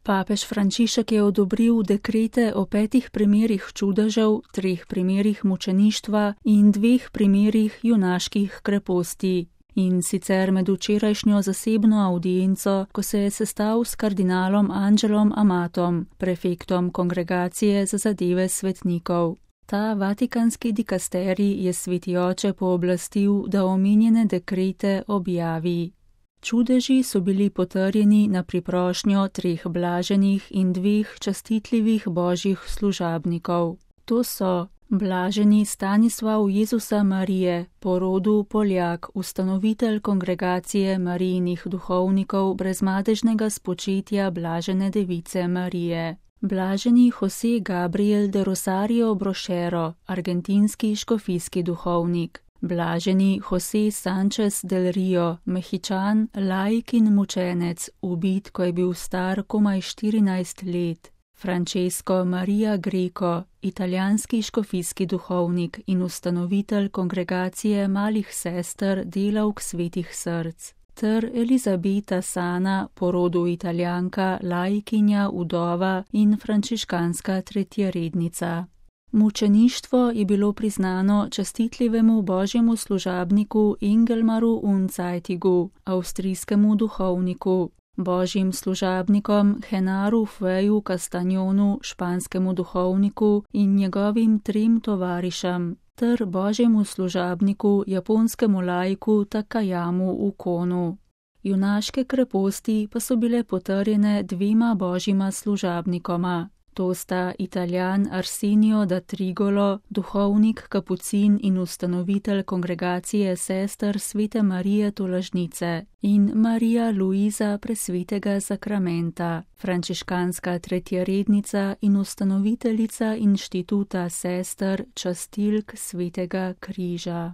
Papež Frančišek je odobril dekrete o 5 primerih čudežev, 3 primerih mučeništva in 2 primerih junaških kreposti. In sicer med včerajšnjo zasebno avdienco, ko se je sestal s kardinalom Angelom Amatom, prefektom Kongregacije za zadeve svetnikov. Ta vatikanski dikasterij je Sveti oče pooblastil, da omenjene dekrete objavi. Čudeži so bili potrjeni na priprošnjo 3 blaženih in 2 častitljivih božjih služabnikov. To so blaženi Stanislav Jezusa Marije, po rodu Poljak, ustanovitelj Kongregacije Marijinih duhovnikov brezmadežnega spočetja blažene device Marije. Blaženi José Gabriel de Rosario Brochero, argentinski škofijski duhovnik. Blaženi José Sánchez del Rio, Mehičan, laik in mučenec, ubit, ko je bil star komaj 14 let. Francesco Maria Greco, italijanski škofijski duhovnik in ustanovitelj Kongregacije malih sester delavk svetih src. Ter Elizabeta Sana, po rodu Italijanka, laikinja, udova in frančiškanska tretjerednica. Mučeništvo je bilo priznano častitljivemu božjemu služabniku Engelmaru Unzeitigu, avstrijskemu duhovniku, božjim služabnikom Henaru Feju Castagnonu, španskemu duhovniku in njegovim 3 tovarišem, ter božjemu služabniku, japonskemu laiku Takayamu Ukonu. Junaške kreposti pa so bile potrjene 2 božjima služabnikoma. To sta Italijan Arsenio da Trigolo, duhovnik kapucin in ustanovitelj Kongregacije sester Svete Marije Tolažnice, in Marija Luiza presvetega zakramenta, frančiškanska tretjerednica in ustanoviteljica inštituta sester častilk Svetega križa.